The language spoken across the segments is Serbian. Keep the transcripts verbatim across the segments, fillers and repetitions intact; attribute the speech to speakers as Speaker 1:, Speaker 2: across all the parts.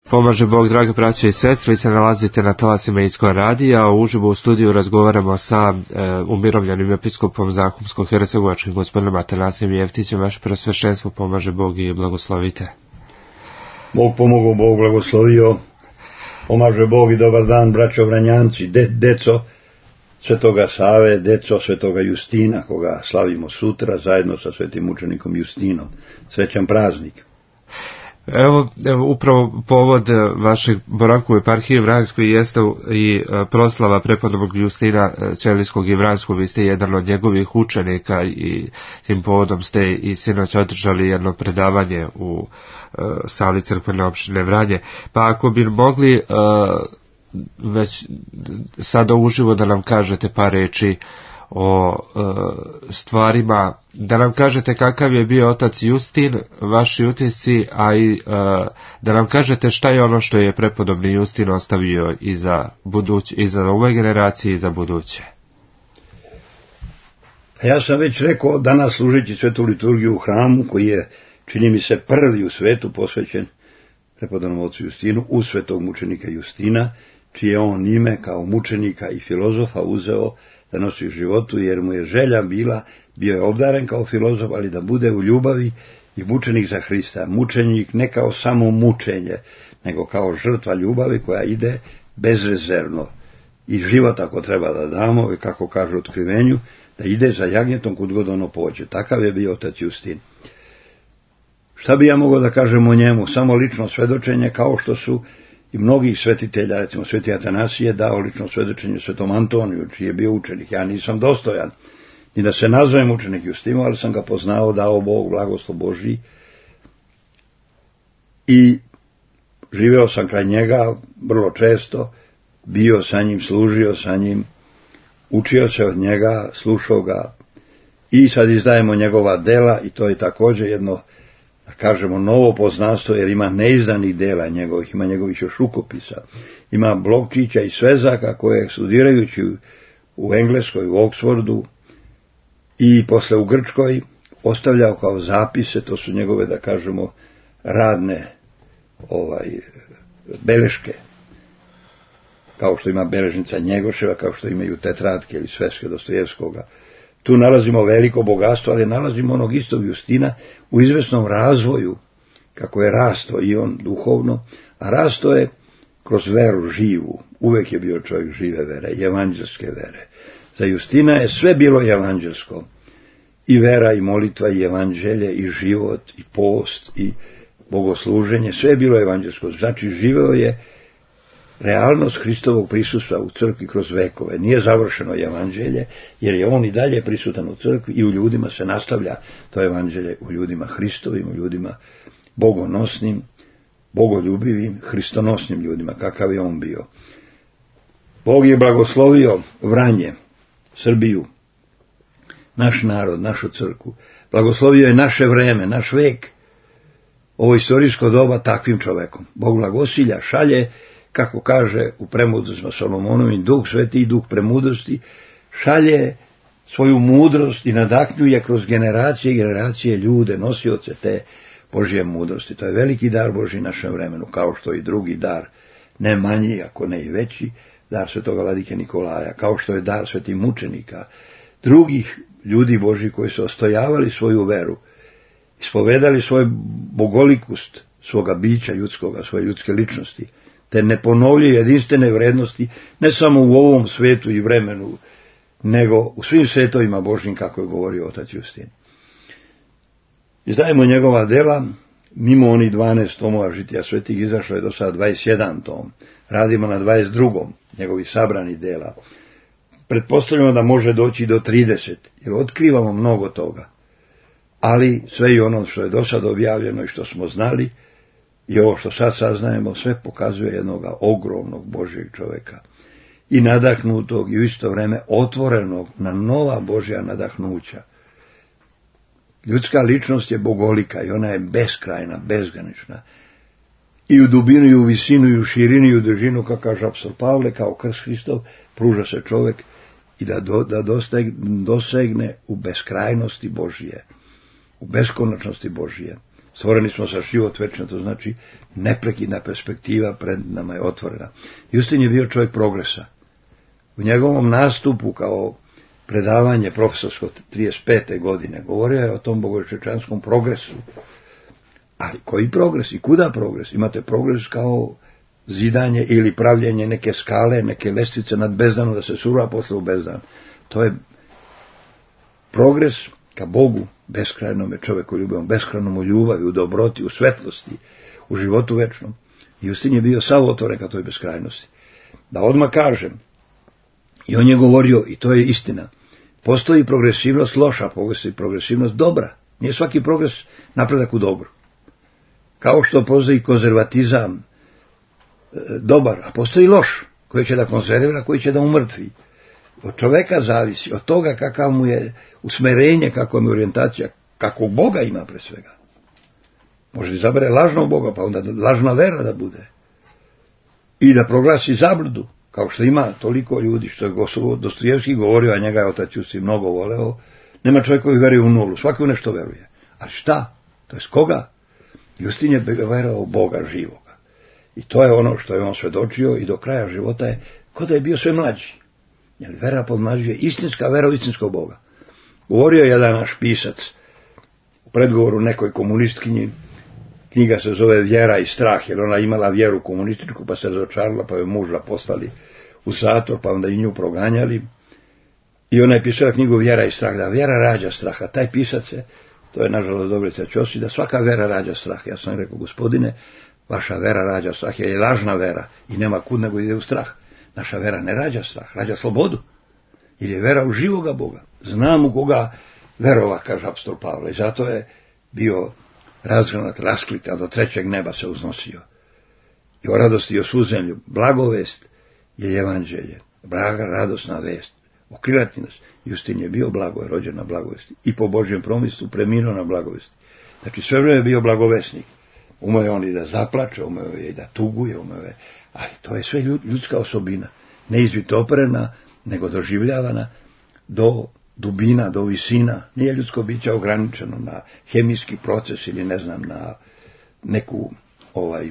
Speaker 1: Pomaže Bog, drage braće i sestre, vi se nalazite na talasima Iskon radija, a uživo u studiju razgovaramo sa e, umirovljenim episkopom Zahumsko-hercegovačkim gospodinom Atanasijem Jeftićem. Vaše preosveštenstvo, pomaže Bog i blagoslovite.
Speaker 2: Bog pomogao, Bog blagoslovio, pomaže Bog i dobar dan, braćo Vranjanci, de, deco Svetoga Save, deco Svetoga Justina, koga slavimo sutra zajedno sa svetim mučenikom Justinom. Srećan praznik.
Speaker 1: Evo, evo, upravo povod vašeg boravka u eparhiji Vranjskoj jeste i proslava prepodobnog Justina Ćelijskog i Vranjskog. Vi ste jedan od njegovih učenika i tim povodom ste i sinoć održali jedno predavanje u uh, sali crkvene opštine Vranje. Pa ako bi mogli uh, već sada uživo da nam kažete par reči o e, stvarima, da nam kažete kakav je bio otac Justin, vaši utisci, a i e, da nam kažete šta je ono što je prepodobni Justin ostavio i za buduće, i za ove generacije i za buduće.
Speaker 2: Ja sam već rekao, danas služeći svetu liturgiju u hramu, koji je, čini mi se, prvi u svetu posvećen prepodobnom ocu Justinu, u svetog mučenika Justina, čije on ime kao mučenika i filozofa uzeo da nosi u životu, jer mu je želja bila, bio je obdaren kao filozof, ali da bude u ljubavi i mučenik za Hrista. Mučenik ne kao samo mučenje, nego kao žrtva ljubavi koja ide bezrezervno. I život ako treba da damo, i kako kaže u otkrivenju, da ide za jagnjetom kud god ono pođe. Takav je bio otac Justin. Šta bi ja mogao da kažem o njemu? Samo lično svedočenje, kao što su i mnogih svetitelja, recimo sveti Atanasije dao lično svedočenje svetom Antoniju, čiji je bio učenik. Ja nisam dostojan ni da se nazovem učenik Justinu, ali sam ga poznao, dao Bog, blagoslov Božji, i živeo sam kraj njega vrlo često, bio sa njim, služio sa njim, učio se od njega, slušao ga, i sad izdajemo njegova dela, i to je također jedno, da kažemo, novo poznanstvo, jer ima neizdanih dela njegovih, ima njegovih još rukopisa, ima blokčića i svezaka koje studirajući u Engleskoj, u Oksfordu i posle u Grčkoj ostavljao kao zapise. To su njegove, da kažemo, radne ovaj, beleške, kao što ima beležnica Njegoševa, kao što imaju tetratke ili sveske Dostojevskoga. Tu nalazimo veliko bogatstvo, ali nalazimo onog istog Justina u izvesnom razvoju, kako je rasto i on duhovno, a rasto je kroz veru živu. Uvek je bio čovjek žive vere, evanđelske vere. Za Justina je sve bilo evanđelsko. I vera, i molitva, i evanđelje, i život, i post, i bogosluženje, sve je bilo evanđelsko. Znači, živeo je realnost Hristovog prisustva u crkvi kroz vekove. Nije završeno evanđelje, jer je on i dalje prisutan u crkvi i u ljudima se nastavlja to evanđelje, u ljudima Hristovim, u ljudima bogonosnim, bogoljubivim, hristonosnim ljudima, kakav je on bio. Bog je blagoslovio Vranje, Srbiju, naš narod, našu crkvu. Blagoslovio je naše vreme, naš vek, ovo istorijsko doba takvim čovekom. Bog blagosilja šalje, kako kaže u premudrostima Solomonovim, duh sveti i duh premudrosti, šalje svoju mudrost i nadahnjuje kroz generacije i generacije ljude, nosioce te Božje mudrosti. To je veliki dar Božji našem vremenu, kao što i drugi dar, ne manji, ako ne i veći, dar svetoga vladike Nikolaja, kao što je dar svetih mučenika, drugih ljudi Božji koji su ostojavali svoju veru, ispovedali svoj bogolikost svoga bića ljudskoga, svoje ljudske ličnosti, te ne ponovljaju jedinstvene vrednosti, ne samo u ovom svetu i vremenu, nego u svim svetovima Božjim, kako je govorio otac Justin. Izdajemo njegova dela, mimo onih dvanaest tomova žitija svetih, izašlo je do sada dvadeset jedan tom, radimo na dvadeset drugom njegovih sabranih dela. Pretpostavljamo da može doći do trideset, jer otkrivamo mnogo toga, ali sve i ono što je do sada objavljeno i što smo znali, i ovo što sad saznajemo, sve pokazuje jednog ogromnog Božjeg čovjeka. I nadahnutog i u isto vrijeme otvorenog na nova Božja nadahnuća. Ljudska ličnost je bogolika i ona je beskrajna, bezgranična. I u dubinu, i u visinu, i u širinu, i u dužinu, kako kaže apostol Pavle, kao krst Hristov, pruža se čovjek i da, do, da dosegne u beskrajnosti Božje, u beskonačnosti Božje. Stvoreni smo za život večni, to znači neprekidna perspektiva pred nama je otvorena. Justin je bio čovjek progresa. U njegovom nastupu kao predavanje profesorsko trideset pete godine govorio je o tom bogočečanskom progresu. Ali koji progres i kuda progres? Imate progres kao zidanje ili pravljenje neke skale, neke lestvice nad bezdanom da se sura posle u bezdan. To je progres ka Bogu, beskrajnome čoveku ljubavom, beskrajnom u ljubavi, u dobroti, u svetlosti, u životu večnom. Justin je bio sav otvoren ka toj beskrajnosti. Da odmah kažem, i on je govorio, i to je istina, postoji progresivnost loša, postoji progresivnost dobra. Nije svaki progres napredak u dobru. Kao što postoji konzervatizam e, dobar, a postoji loš, koji će da konzervira, koji će da umrtvi. Od čoveka zavisi, od toga kakav mu je usmerenje, kakva mu je orijentacija, kakvog Boga ima pre svega. Može da izabere lažnog Boga, pa onda lažna vera da bude. I da proglasi zabludu, kao što ima toliko ljudi, što je Dostojevski govorio, a njega je otac Justin mnogo voleo, nema čovjek koji veruje u nulu, svaki u nešto veruje. Ali šta? To je s koga? Justin je verovao Boga živoga. I to je ono što je on svedočio i do kraja života je, ko da je bio sve mlađi. Jer vera podmlađuje istinska vera u istinskog Boga. Govorio je jedan naš pisac u predgovoru nekoj komunistkinji, knjiga se zove Vjera i strah, jer ona imala vjeru komunističku, pa se razočarala, pa je muža poslali u zatvor, pa onda i nju proganjali. I ona je pisala knjigu Vjera i strah, da vjera rađa straha. Taj pisac je, to je nažalost Dobrica Ćosić, da svaka vera rađa strah. Ja sam rekao, gospodine, vaša vera rađa strah, jer je lažna vera i nema kud nego ide u strah. Naša vera ne rađa strah, rađa slobodu. Jer je vera u živoga Boga. Znam u koga verova, kaže apostol Pavle. I zato je bio razgranat, rasklikan, do trećeg neba se uznosio. I o radosti i o suzemlju. Blagovest je evanđelje. Blaga, radosna vest. Okrilati nas. Justin je bio blago, je rođen na blagovesti. I po Božjem promislu preminuo na blagovesti. Znači sve vreme je bio blagovesnik. Umeo je on i da zaplače, umeo je i da tuguje, umeo je. Ali to je sve ljudska osobina. Ne izvitoperena, nego doživljavana do dubina, do visina. Nije ljudsko biće ograničeno na hemijski proces ili ne znam na neku ovaj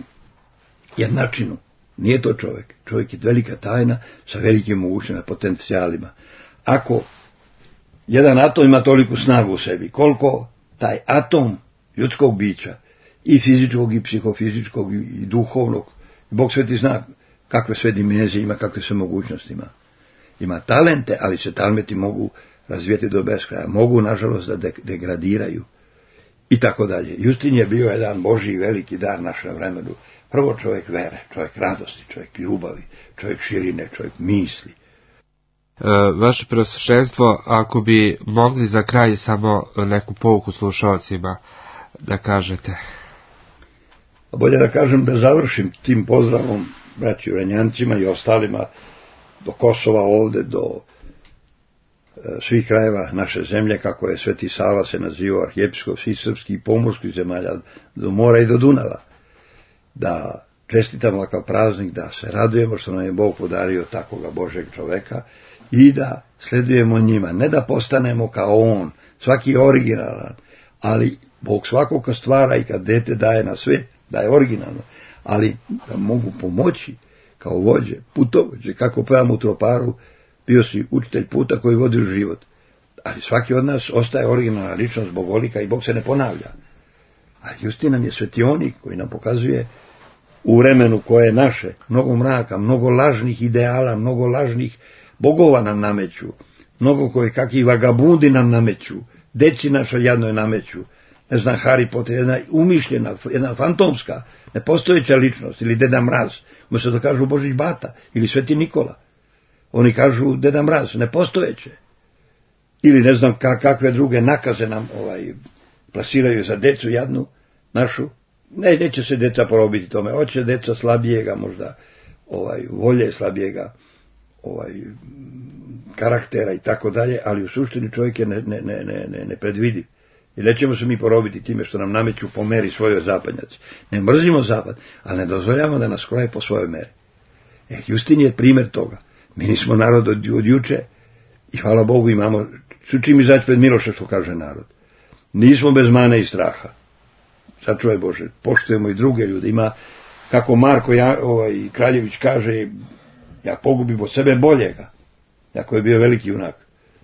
Speaker 2: jednačinu. Nije to čovjek. Čovjek je velika tajna sa velikim mogućnostima, potencijalima. Ako jedan atom ima toliku snagu u sebi, koliko taj atom ljudskog bića, i fizičkog, i psihofizičkog, i duhovnog, Bog sveti zna kakve sve dimenzije ima, kakve sve mogućnosti ima. Ima talente, ali se talenti mogu razvijeti do beskraja. Mogu, nažalost, da de- degradiraju. I tako dalje. Justin je bio jedan Božji veliki dar našem vremenu. Prvo čovjek vere, čovjek radosti, čovjek ljubavi, čovjek širine, čovjek misli.
Speaker 1: E, vaše preosveštenstvo, ako bi mogli za kraj samo neku pouku slušalcima da kažete.
Speaker 2: Bolje da kažem da završim tim pozdravom braći Vranjancima i ostalima do Kosova ovde, do e, svih krajeva naše zemlje, kako je Sveti Sava se nazivao, arhijepiskop svih srpskih i pomorskih zemalja, do mora i do Dunava. Da čestitamo ovakav praznik, da se radujemo što nam je Bog podario takoga Božeg čoveka i da sledujemo njima. Ne da postanemo kao on, svaki je originalan, ali Bog svakog kad stvara i kad dete daje na svet, da je originalno, ali da mogu pomoći kao vođe, putovođe, kako pevamo u Troparu, bio si učitelj puta koji vodi u život. Ali svaki od nas ostaje originalna ličnost bogolika i Bog se ne ponavlja. A Justin nam je svetionik koji nam pokazuje u vremenu koje je naše, mnogo mraka, mnogo lažnih ideala, mnogo lažnih bogova nam nameću, mnogo koji kakvi vagabundi nam nameću, deci našoj jadnoj nameću, ne znam, Harry Potter, jedna umišljena, jedna fantomska, nepostojeća ličnost, ili Deda Mraz, umjesto da kažu Božić Bata, ili Sveti Nikola. Oni kažu Deda Mraz, nepostojeće. Ili ne znam kakve druge nakaze nam ovaj plasiraju za decu jadnu našu. Ne, neće se deca porobiti tome, hoće deca slabijega možda, ovaj, volje slabijega, ovaj, karaktera i tako dalje, ali u suštini čovjek je ne, ne, ne, ne, ne predvidiv. I nećemo se mi porobiti time što nam nameću po meri svojoj zapadnjaci. Ne mrzimo zapad, ali ne dozvoljamo da nas kroje po svojoj meri. E, Justin je primjer toga. Mi nismo narod od, od juče i hvala Bogu imamo, su čim izaći pred Miloša što kaže narod. Nismo bez mane i straha. sačuvaj Bože, poštujemo i druge ljude. Ima, kako Marko ja, ovaj, Kraljević kaže, ja pogubim od sebe boljega, jako je bio veliki junak.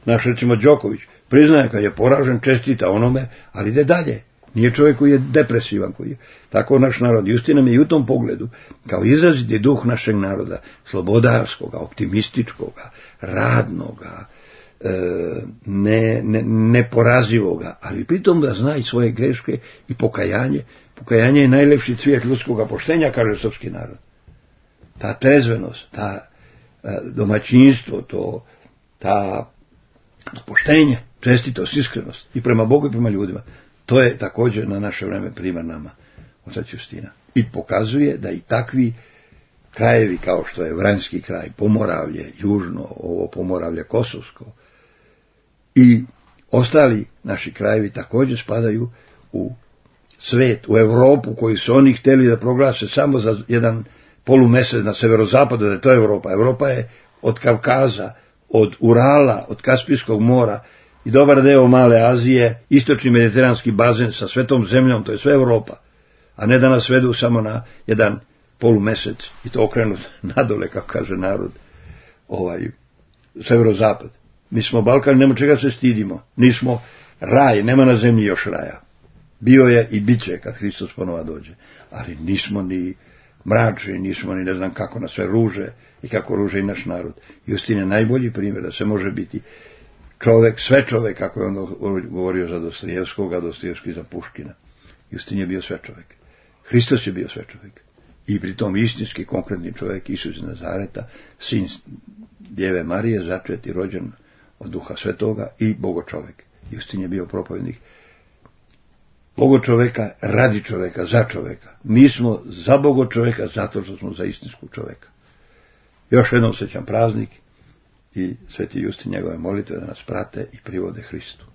Speaker 2: Naš, recimo, Đoković, priznaje kad je poražen, čestita onome, ali ide dalje. Nije čovjek koji je depresivan, koji je. Tako naš narod. Justin nam je i u tom pogledu, kao izraziti duh našeg naroda, slobodarskoga, optimističkoga, radnoga, e, ne, ne, neporazivoga, ali pritom da zna i svoje greške i pokajanje. Pokajanje je najlepši cvijet ljudskog poštenja, kaže srpski narod. Ta trezvenost, ta e, domaćinstvo, to, ta poštenje, čestitost, iskrenost i prema Bogu i prema ljudima. To je također na naše vreme primjer nama, otac Justina. I pokazuje da i takvi krajevi kao što je Vranjski kraj, Pomoravlje, južno, ovo Pomoravlje Kosovsko i ostali naši krajevi također spadaju u svet, u Europu koju su oni htjeli da proglase samo za jedan polumesec na severozapadu, da je to Europa. Europa je od Kavkaza, od Urala, od Kaspijskog mora i dobar deo Male Azije, istočni mediteranski bazen sa svetom zemljom, to je sve Europa, a ne da nas vedu samo na jedan polumesec i to okrenut nadole, kako kaže narod, ovaj, severozapad. Mi smo Balkan, nema čega se stidimo, nismo raj, nema na zemlji još raja. Bio je i bit će kad Hristos ponova dođe, ali nismo ni mračni, nismo ni ne znam kako na sve ruže i kako ruže i naš narod. Justin je najbolji primjer da se može biti čovek, sve čovek, kako je on govorio za Dostojevskog, a Dostojevski za Puškina. Justin je bio sve čovek. Hristos je bio sve čovek. I pritom istinski, konkretni čovek, Isus iz Nazareta, sin Djeve Marije, začet i rođen od Duha Svetoga i Bogočovek. Justin je bio propovednik Bogočoveka, radi čoveka, za čoveka. Mi smo za Bogočoveka zato što smo za istinskog čoveka. Još jednom srećan praznik i Sveti Justin njegove molitve da nas prate i privode Hristu.